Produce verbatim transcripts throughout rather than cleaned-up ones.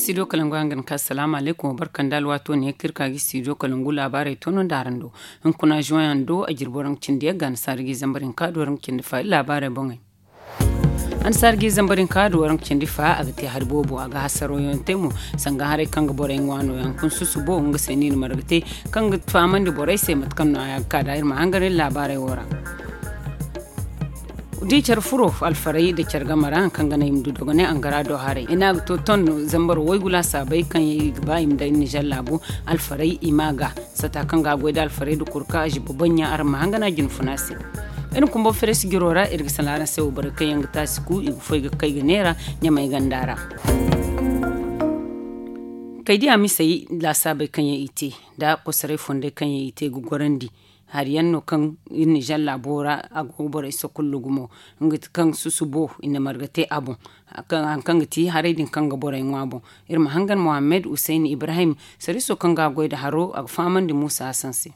Studio kalangu hangan ka salaamu alaykum wa barka nda alwaato ne kaŋ iri ka ga studio kalangu laabaarey toonandi araŋ do. Hunkuna juwayaŋ do a jirbi waraŋ cindi yagga annasaara ga i zambar hinka do waraŋ cindi fa iri laabaarey boŋey. Annasaara ga i zambar hinka do waraŋ cindi fa a ga te hari boobo a ga hasaraw yaŋ te mo. Sanga haray kaŋ ga borey ŋwa no yaŋ kun susubo nga se no i na marga te kaŋ ga fahamandi borey se mate kaŋ no a ya ga ka da iri ma hangan iri laabaarey wo ra. Da i care furo alfaray nda care game ra hari kaŋ ga naŋ i ma du dogonay angara do haray i ne a ga to ton zambar waygu laasaabey kaŋ yaŋ i ga ba i ma daŋ iri nizer laabu alfaray i ma ga sata kaŋ ga a goy nda alfaray nda kurka a ziba baŋ yaŋ araŋ ma hangan a jinfuna se. Iri na kumbo feres jiro ra iri ga sala araŋ se wo borey kaŋ yaŋ ga taasi ku i ga foy ga kay ga neera ɲamay ganda ra. Kay di a misey laasaabey kaŋ yaŋ i te nda kosoray fondey kaŋ yaŋ i te ga gorandi. Hari yaŋ no kaŋ iri nizer laabo ra a go ga borey sokullu gumo nga ti kaŋ susubo i na marga te a boŋ. Hari kaŋ ga ti haray din kaŋ ga borey ŋwa boŋ. Iri ma hangan mohammed hussein ibrahim sariiso kaŋ ga a goy nda haro a ga fahamandi muusa hasan se.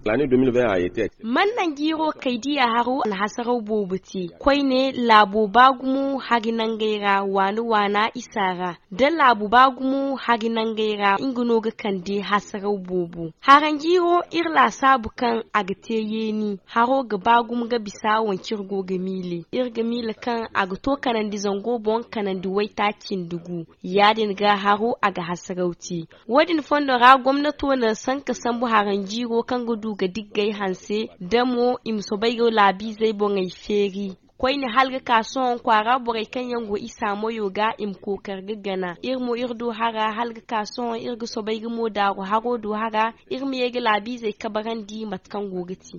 Man naŋ jiiro kay diya haro a na hasaraw boobo te koyne laabo ba gumo hari nangey ra waana waana isa ra da laabu ba gumo hari nangey ra nga no ga kande hasaraw boobo. Haranjiiro iri laasaabu kaŋ a ga te yeeni haro ga ba gumo ga bisa wance iri go ga miile iri ga miile kaŋ a ga to kanandi zango boŋ kanandi waytaaci nda gu. Ya- din ga haro a ga hasaraw te. Wo- din fondo ra gomnato na sanka sambu haranjiiro kaŋ ga du ga diggay hanse da mo i ma soobay ga laabiizey boŋey feeri. Koyne hala ga ka sohõ kwaara borey kaŋ yaŋ go isa moyo ga i ma kookari ga gana iri mo iri du hara hala ga ka sohõ iri ga soobay ga mo daaru haro du hara iri ma ye ga laabiizey kabarandi mate kaŋ go ga te.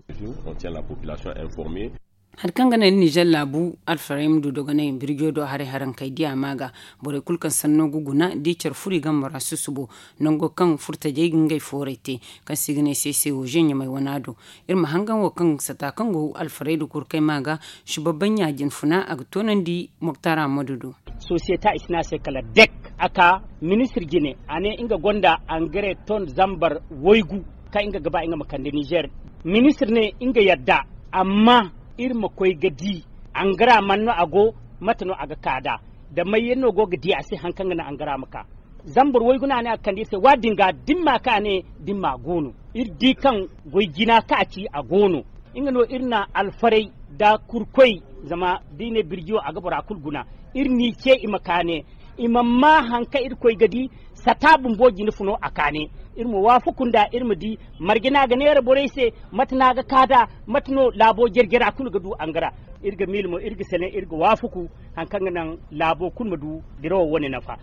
Hari kaŋ ga naŋ iri nizer laabu alfarayma du dogonay birjo do haray harankey diya ma ga borey kulu kaŋ sanno ga guna da i care furo i game ra susubo nango kaŋ furtajey ga ngey foorey te kaŋ se i ga ne seese wo zeɲamey wana do. Iri ma hangan wo kaŋ sata kaŋ go alfarayda kurkey ma ga subabaɲa jinfuna a ga toonandi moktar ammadu do. Sosiyeta i si ne a se kala dek a ka ministir jine a ne nga gonda angare ton zambar waygu kaŋ nga ga ba nga ma kande nizer. Ministir ne nga yadda amma iri ma koy ga di angara man no a go mate no a ga ka da da may yaŋ no go ga di a se hari kaŋ ga naŋ angara ma ka. Zambar waygu no a ne a ga kande iri se waati din ga da ni ma ka ne da ni ma go no. Iri di kaŋ goy jina kaŋ a ci a go no. Nga no iri na alfaray da kurkoy zama da i ne birjiyo a ga bora kulu guna. Iri n'i ce i ma ka ne i ma ma hari kaŋ iri koy ga di sata bumbo jina funo a ka ne. Iri ma waafaku nd'a iri ma di marje no a ga neera borey se mate no a ga ka nd'a mate no laabo jare-jara kulu ga du angara. Iri ga miila mo iri ga sene iri ga waafaku hari kaŋ ga naŋ laabo kulu ma du dirawo wane nafa.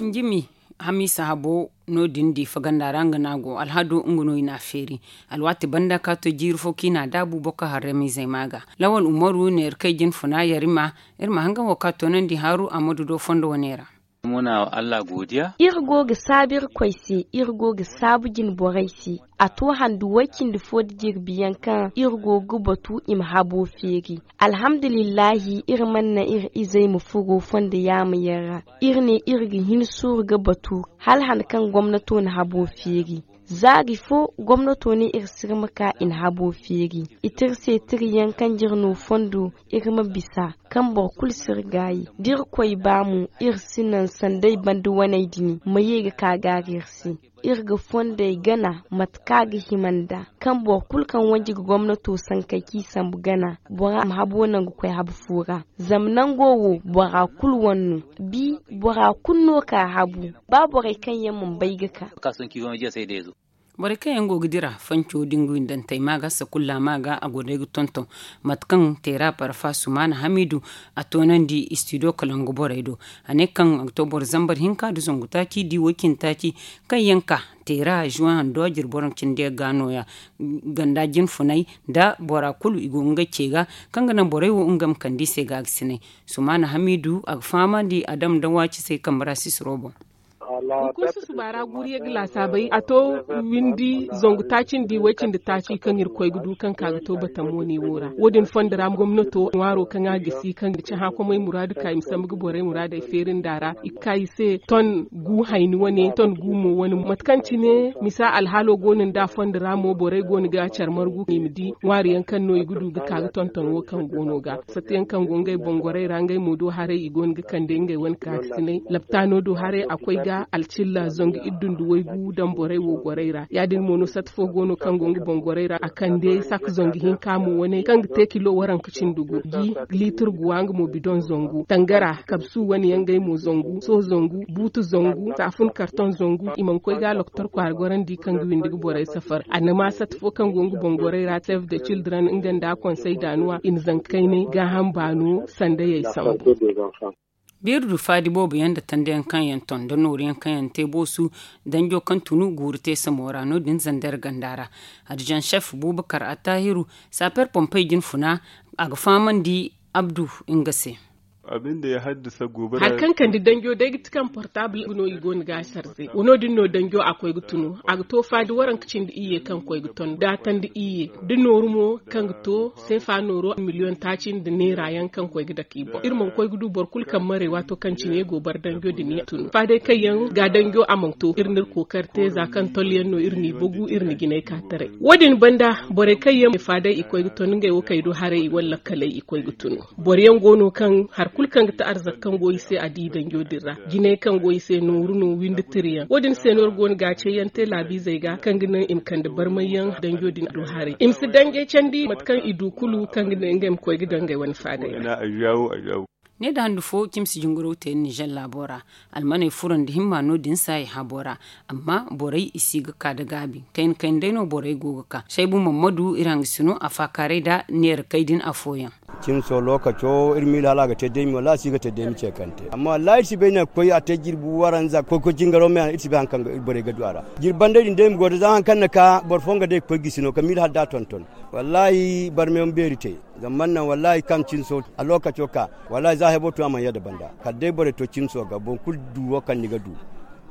Njimi hamiisa habo no- din diifa ganda ra nga no a go alhado nga no i n'a feeri. Alwaati banda ka to jiiri fo kaŋ i n'a daabu boro kaŋ harramiizey ma ga lawal umaru neera kaŋ i jinfuna yarima. Iri ma hangan wo ka toonandi haaru ammadu do fondo wane ra. Iri go ga saabu irkoy se iri go ga saabu jinborey se. A to handu way-cindi fo nda jirbi yaŋ kaŋ iri go ga batu i ma habo feeri. Alhamdulillahi iri mana naŋ iri izey ma furo fondo yaama yaŋ ra. Iri ne iri ga hin suuru ga batu hala han kaŋ gomnato na habo feeri. Zaari fo gomnato ne iri sirma ka i na habo feeri. I tira se tira yaŋ kaŋ jira no fondo iri ma bisa kaŋ boro kulu si iri gaayi da irkoy ba mo. Iri si naŋ sanday banda waney din ma ye ga ka gaari iri se. Iri ga fondey gana mate kaŋ a ga hima nd'a kaŋ boro kulu kaŋ wanji ga gomnato sankey kaŋ i sambu gana bora ma habo naŋ ga koy habu fo ra. Zama nango wo bora kulu wane no. Bi bora kulu no ka habu ba borey kaŋ yaŋ mana bay ga ka. Borey kaŋ yaŋ go ga dira fanco da nga windantey ma ga sakulla ma ga a go day ga tonton. Mate kaŋ teera parfa sumaana hamiidu a toonandi istidiyo kalangu borey do. A ne kaŋ a ga to boro zambar hinka nda zangu taaci da i woy cindi taaci kaŋ yaŋ ka teera zuwa hando a jirbi waraŋ cindi yaŋ ga nooya. Ganda jinfunay nda bora kulu i go ga ngey ce ga kaŋ ga naŋ borey wo nga ma kande i se ga a ga sinay. Sumaana hamiidu a ga fahamandi a dam nda waaci se kambe ra sisiro boŋ. Hunkuna susuba ra guuru ye ga laasaabay a to windi zangu taaci nda way cindi taaci kaŋ irkoy ga du kaŋ ka ga to batamo ne wo ra wo- din fondo ra gomnato ŋwaaro kaŋ a gisi kaŋ ga ci hãkomey muraadu ka i ma sambu ga borey muraadey feeri nd'a ra i ga ka i se ton gu hayni wane ton gu mo wane mate kaŋ cine misa alhaalo go no nd'a fondo ra mo borey go no ga care margu i ma di ŋwaari yaŋ kaŋ no i ga du ga ka ga tonton wo kaŋ go no ga satta yaŋ kaŋ go ngey boŋ gorey ra ngey mo do haray i go no ga kande ngey wane kaakasinay laptaano do haray a koy ga alcilla zangu iddu nda waygu daŋ borey wo gorey ra ya- din mo no satta fo go no kaŋ go nga boŋ gorey ra a kande sakka zangu hinka mo wane kaŋ ga te kilo waranka cindi gu gi liitir guwa nga mo bidoŋ zangu tangara kabsu wane yaŋ ngey mo zangu sohõ zangu buutu zangu saafun kartoŋ zangu i mana koy ga loktor kwaara gorandi kaŋ ga windi ga borey safar annama satta fo kaŋ go nga boŋ gorey ra save the children nga nda konsey daanuwa i na zanka kaynay gaaham baano sandayey sambu. Beeri du faadi boobo yaŋ nda tanda yaŋ kaŋ yaŋ ton nda nooru yaŋ kaŋ yaŋ te boosu danjo kaŋ tunu guuru te samo ra no- din zander ganda ra. Adijan chef bubakar attahiru saper pompey jine funa a ga fahamandi abdu nga se. Hari kaŋ kande danjo day ga ti kaŋ portable no i go no ga a sarze wo no- din no danjo a koy ga tunu a ga to faadi waranka cindi iyye kaŋ koy ga ton da tanda iyye da nooru mo kaŋ ga to seefa nooro miliyoŋ taaci nda neera yaŋ kaŋ koy ga dake i boŋ iri mana koy ga du boro kulu kaŋ maray waato kaŋ cine go bar danjo din yaŋ tunu faadey kaŋ yaŋ ga danjo a mana to iri n'iri kookari te za kaŋ tolyaŋ no iri n'i bagu iri na jinay ka taray wo- din banda borey kaŋ yaŋ faadey i koy ga ton ngey wo kaŋ i du haray i wala lakkaley i koy ga tunu boro yaŋ go no kaŋ hari kulu kaŋ ga ti arzaka kaŋ go i se a di danjo din ra jinay kaŋ go i se nooru no windi tiriyaŋ wo- din se no iri go no ga a ceeyaŋ te laabiizey ga kaŋ ga naŋ i ma kande barmayyaŋ danjo din do haray i ma si dangay candi mate kaŋ i du kulu kaŋ ga naŋ ngey ma koy ga dangay wane faadey ra. Ne da handu fo cimsi jingaro te nizer laabo ra almaney furo nda himma no- din se a i habo ra amma borey i si ga ka da gaabi kayna kayna day no borey go ga ka saybu mammadu iri hangasino a faakaaray da neera kay din afooyaŋ. Cimso lookaco iri miila hala a ga te deemi wallaahi a si ga te deemi ceekante amma wallaahi iri si bay naŋ ga koy a te jirbi waranza koy koy jingaro me iri si bay hari kaŋ borey ga du a ra. Jirbi banday din day ma go da za hari kaŋ na ka boro fo nga day ga koy gisi no ka miila hala da a tonton. Wallaahi barme ma beeri te zama man naŋ wallaahi kaŋ cimso a lookaco ka wallaahi za hebo tun a mana yadda banda kala day borey to cimso ga boro kulu du wo kaŋ ni ga du.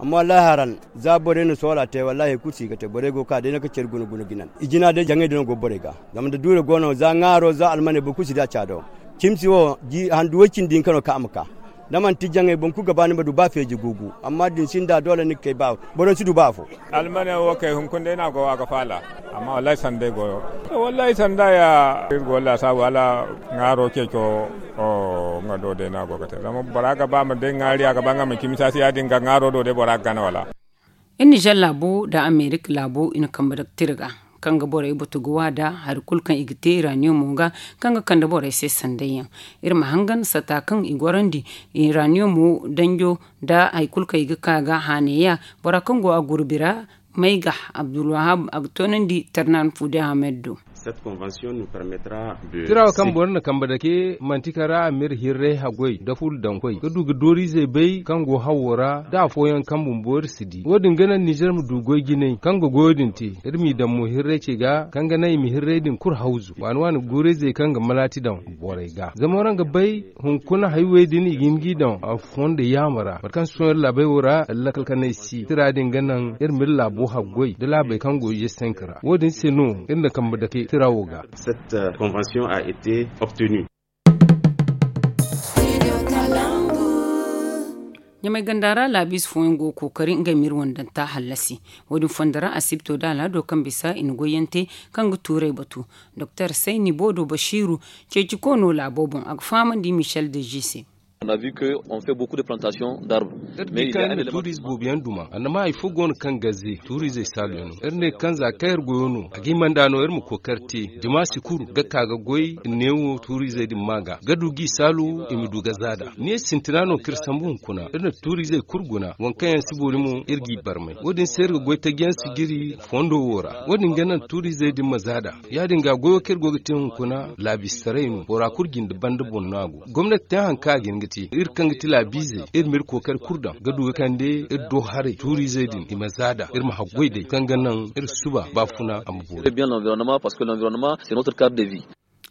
Amma wallaahi haran za borey na soola te wallaahi hari kulu si ga te borey go ga ka day no ka care guna guna ga naŋ i jina day jaŋey din no go borey ga. Zama da duure go no za ŋaaro za almaney boro kulu si di a caado. Cimsi wo handu way cindi hinka no kaŋ a ma ka da manti jaŋey boro kulu ga ba ni ma du ba feeji guugu amma da ni sinda doole ni ga kay ba boro si du ba afo. Almane wo kay hunkuna day no a go a ga faala. Amma wallaahi sanda day go. Wallaahi sanda ya iri go laasaabu hala ŋaaro ceeco. Nga do day no a go ga te zama bora ga ba ma day ŋaari a ga ba nga ma cimi saasi ya- din ga ŋaaro do day bora ga gana wala? Iri nizer laabo nda amerika laabo i na kambe dake tira ga kaŋ ga borey batu ga waada hari kulu kaŋ i ga te iraniyomo ga kaŋ ga kande borey se sanday yaŋ. Iri ma hangan sata kaŋ i gorandi iraniyomo danjo nda hari kulu kaŋ i ga ka ga haanay ya bora kaŋ go a gurbi ra. May ga abdulwahab a ga toonandi tarnan fude ahmed do. Tira wo kaŋ boro na kambe dake manti kaŋ ra a ma iri hirray haggoy nda fulu daŋ koy ga du ga dooriizey bay kaŋ go hawo ra nda afooyaŋ kaŋ bumbo iri si di wo- din ga naŋ nizer ma du goy jinay kaŋ ga goyo din te. Iri m'i daŋ mo hirray ce ga kaŋ ga naŋ i ma hirray din kulu hawzu waani waani guurayzey kaŋ ga malaati daŋ borey ga zama waraŋ ga bay hunkuna haywey din i ga hin g'i daŋ a fondo yaama ra mate kaŋ sohõ iri laabey wo ra lakkal kanay si tira din ga naŋ iri ma iri laabo haggoy nda laabey kaŋ go ize senk ra wo- din se no iri na kambe dake tira wo ga. Cette convention a été obtenue. Ɲamay ganda ra laabiize fooyaŋ go ga kookari ngey ma iri wandanta hallasi. Wo- din fondo ra asibto da alhado kaŋ bisa i na goyyaŋ te kaŋ ga tuurey batu. Doktor sayni boodo basiiru ceeci koono laabo boŋ a ga fahamandi michel de g se. Iri di kaŋ iri na tuuriize boobo yaŋ duma annama hari fo go no kaŋ gaze tuuriizey saalu yaŋ no iri ne kaŋ za kaŋ iri goyo no a ga himanda no iri ma kookari te jama si kuru ga ka ga goy neewo tuuriizey din ma ga ga du g'i saalu i ma du ga zaada ne sintina no kaŋ iri sambu hunkuna iri na tuuriizey kulu guna waŋ kaŋ yaŋ si boori mo iri g'i barmay wo- din se iri ga goy taji yaŋ si jiri fondo wo ra wo- din ga naŋ tuuriizey din ma zaada. Ya- din ga goyo kaŋ iri go ga te hunkuna laabistaray no bora kulu jinde banda boŋ no a go gomnati te hari kaŋ a ga hin ga te iri kaŋ ga ti laabiizey iri ma iri kookari kulu daŋ ga du ga kande iri do haray tuuriizey din i ma zaada iri ma haggoy day kaŋ ga naŋ iri suba baafuna a ma boori. Bien l'environnement parce que l'environnement c'est notre cadre de vie.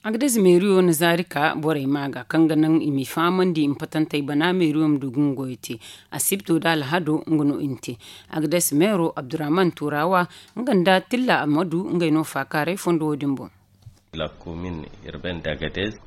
Agades meeriyo na zaari ka borey maa ga kaŋ ga naŋ i m'i fahamandi i ma patantey bana meeriyo ma du ga nga goyo te. Asibto nda alhado nga no i na te. Agades meero abdurrahman turawa nga nda tilla amadu ngey no faakaaray fondo wo- din boŋ.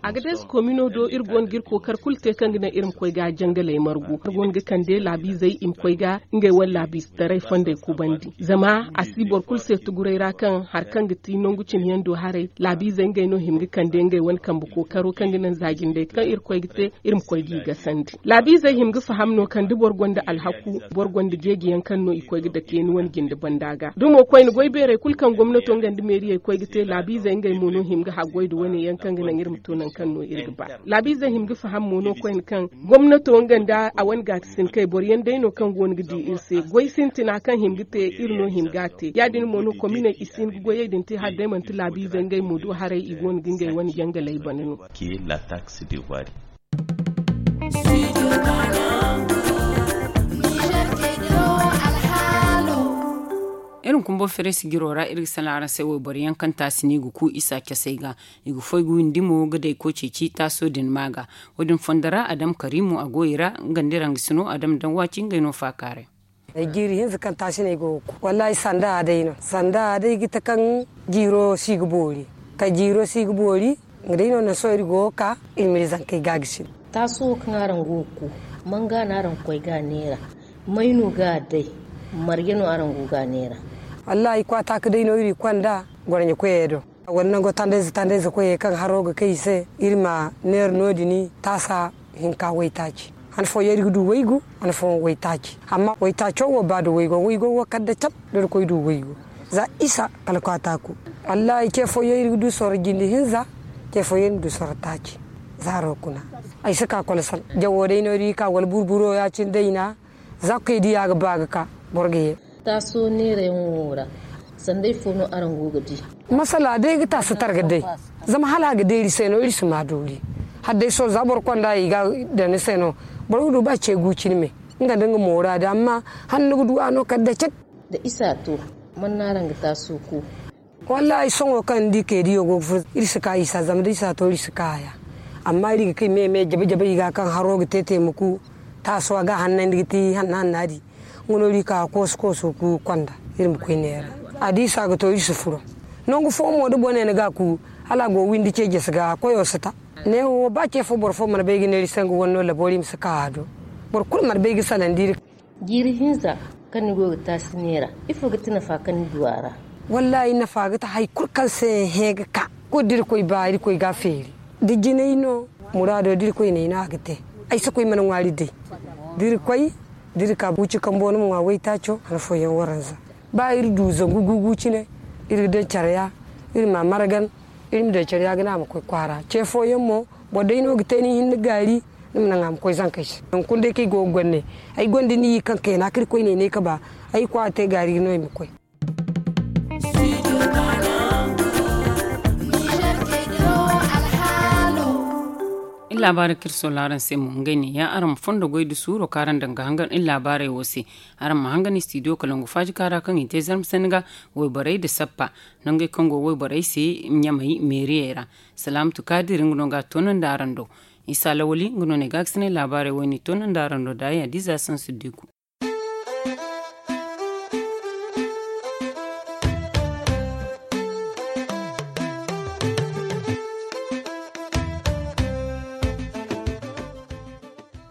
Agades komino do iri go no ga iri kookari kulu te kaŋ ga naŋ iri ma koy ga jangaley margu iri go no ga kande laabiizey i ma koy ga ngey wane laabiize taray fondey kubandi. Zama a si boro kulu se tuguray ra kaŋ hari kaŋ ga ti nangu cine yaŋ do haray laabiizey ngey no hima ga kande ngey wane kambe kookaro kaŋ ga naŋ za jindey kaŋ iri koy ga te iri ma koy g'i gasandi. Laabiizey hima ga faham no kaŋ da boro gonda alhaku boro gonda jeeji yaŋ kaŋ no i koy ga dake ni wane jinde banda ga da mo koyne goy beerey kulu kaŋ gomnato nga nda meeriyey koy ga te laabiizey ngey mo no hima ga haggoy nda wane yaŋ kaŋ ga naŋ iri ma to nangu kaŋ no iri ga ba. Laabiizey hima ga faham mo no koyne kaŋ gomnato nga nda a wane gaakasinkey boro yaŋ day no kaŋ go no ga di iri se goy sintina kaŋ hima ga te iri no hima ga a te ya- din mo no kominey i si hin ga goyey din te hala day manti laabiizey ngey mo do haray i go no ga ngey wane jangaley bana no. Iri ma kumbo fereesi jiro ra iri ga salaŋ araŋ se wayboro yaŋ kaŋ taasi no i ga ku isa casey ga. I ga foy ga windi mo ga day koy ceeci taaso din maa ga. Wo- din fondo ra adam kariimo a go i ra nga nda iri hangasino adam daŋ waati ngey no faakaaray. Ay jiiri hinza kaŋ taasi no ay go ga ku wallaahi sanda a day no sanda a day ga te kaŋ jiiro si ga boori. Ka jiiro si ga boori nga day no naŋ sohõ iri go ga ka iri ma iri zankey ga a ga sino. Taaso wo kaŋ araŋ go ga ku manga no araŋ ga koy ga a neera? May no ga a day? Marje no araŋ go ga a neera? Wallaahi kwaataaka day no iri ga konda gorɲe koyey do. Wala nango tandayze tandayze koyey kaŋ haro ga kay i se iri ma neera no- din taasa hinka waytaaci. Han fooyaŋ iri ga du waygu han fooyaŋ waytaaci. Amma waytaaco wo ba nda waygo waygo wo kala da cat da iri koy du waygu. Za isa kala kwaataaku. Wallaahi ce fooyaŋ iri ga du sorro jinde hinza. Ce fooyaŋ iri ma du sorro taaci. Za haro kuna ay si ka kolosan jawo day no iri ga ka wala burburo ya- cine day na. Za ga koy diya ga ba ga ka boro ga ye. Taaso neerayaŋo ra sanda ifo no araŋ go ga di? Masala day ga taasi targa day. Zama hala a ga deeri se no iri si ma doori. Hala day sohõ za boro konda i ga daŋ ni se no. Boro ga du ba ce gu cine me nga nda nga moora din amma hala ni ga du a no kala da cek. Da isa to man no araŋ ga taaso ku? Wallaahi sohõ kaŋ ni di keediyo go ga furo iri si ka isa zama da isa to iri si ka a ya. Amma iri ga kay me me jabe jabe i ga kaŋ haro ga te te ma ku. Taaso a ga a hannandi ga ti hanna hanna di. Nga no iri ka koosu koosu ku konda iri ma koy neera. A di isa ga to iri si furo. Nangu fooyaŋ mo da bone ni ga a ku hala a go windi ce jesi ga koyo si ta. Neewo ba ce fo boro fo mana bay ga neera iri se nga wane no labo iri ma si ka a do. Boro kulu mana bay ga sanandi iri. Jiiri hinza kaŋ ni go ga taasi neera ifo ga ti nafa kaŋ ni du a ra? Wallaahi nafa ga ti hari kulu kaŋ se hẽ ga ka kulu da irkoy ba irkoy ga a feeri. Da jinay no muraado da irkoy ne ay no a ga te. Ay si koy mana ŋwaari day da irkoy da iri ka buuci kambo ni ma ŋwa waytaaco han fooyaŋ waranza. Ba iri du zangu gugu cine iri ga daŋ care ya iri ma a margan. Iri ma daŋ care ya ga ne a ma koy kwaara ce fooyaŋ mo boro day no ga te ni hinne gaari. Ni ma naŋ a ma koy zankey se hunkuna day kaŋ ay go ga gonda ay gonda ni yi kaŋ kayna kaŋ irkoy ne ay ne ay ka ba ay kwaara te gaari no ay ma koy. Iri laabaarey kaŋ iri soola araŋ se mo ngey ne ya araŋ ma fondo goy nda suuro kaŋ araŋ daŋ ga hangan iri laabaarey wo se. Araŋ ma hangan istidiyo kalangu faaji kaara kaŋ i te zarma sanni ga wayborey nda sappa nangey kaŋ go wayborey se ɲamey meeriyey ra. Salaamatu kaadir nga no ga a toonandi araŋ do. Isa lawali nga no ne gaakasinay laabaarey wo-ne toonandi araŋ do daaya diza sansu diku.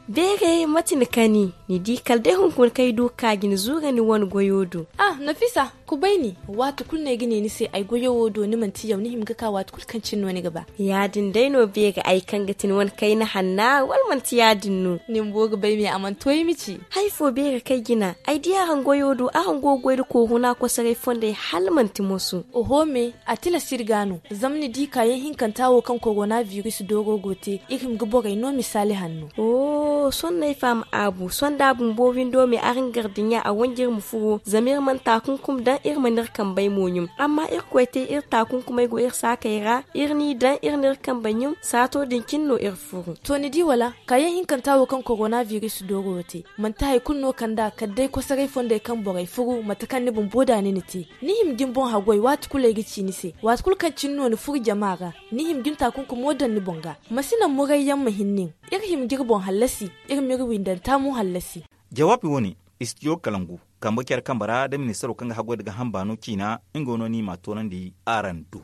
Beeray mate ni kani ni di kala day hunkuna kaŋ ay du ga ka ga ni zuura ni wane goyo do. Ah, nafisa, kubay ni. Waati kulu no ay ga ne ni se ay goyo wo do ni manti yaw ni hima ga ka waati kulu kaŋ cine no ni ga ba. Ya- din day no beeray ay kaŋ ga ti ni wane kayna hanna wala manti ya- din no? Ni bumbo ga bay me a mana to ay ma ci. Hari fo beeray kaŋ ay jina ay di araŋ goyo do araŋ go ga goy nda kooru no a kosoray fondey hala manti moso. Oho me, a tilas iri ga no. Zama ni di kaayaŋ hinkanta wo kaŋ korona biris dooro go te iri hima ga borey no misaali hanno. Sohõ no ay faham aabu sohõ. Bumbo windo me araŋ gardiɲa a wanjir ma furo zama iri mana taakunkum daŋ iri mana iri kambey mo ɲum. Amma irkoy te iri taakunkumey go iri saakey ra iri n'i daŋ iri n'iri kambey ɲum saato din cine no iri furu. To ni di wala kaayaŋ hinkanta wo kaŋ korona biris dooro wo te manti hari kulu no kand'a kala day kosoray fondey kaŋ borey furu mate kaŋ ni bumbo da ni na te. Ni hima ga ni boŋ haggoy waati kulu ay ga ci ni se waati kulu kaŋ cine no ni furu jama ra. Ni hima ga ni taakunkumo daŋ ni boŋ ga ma si naŋ murayyaŋ ma hin nin. Iri hima ga iri boŋ hallasi iri m'iri windanta mo hallasi. Jawaabi wo- ne, istijo kalangu kambe care kambe ra da ministaro kaŋ ga haggoy nda gaaham baano ciina nga no ni m'a toonandi araŋ do.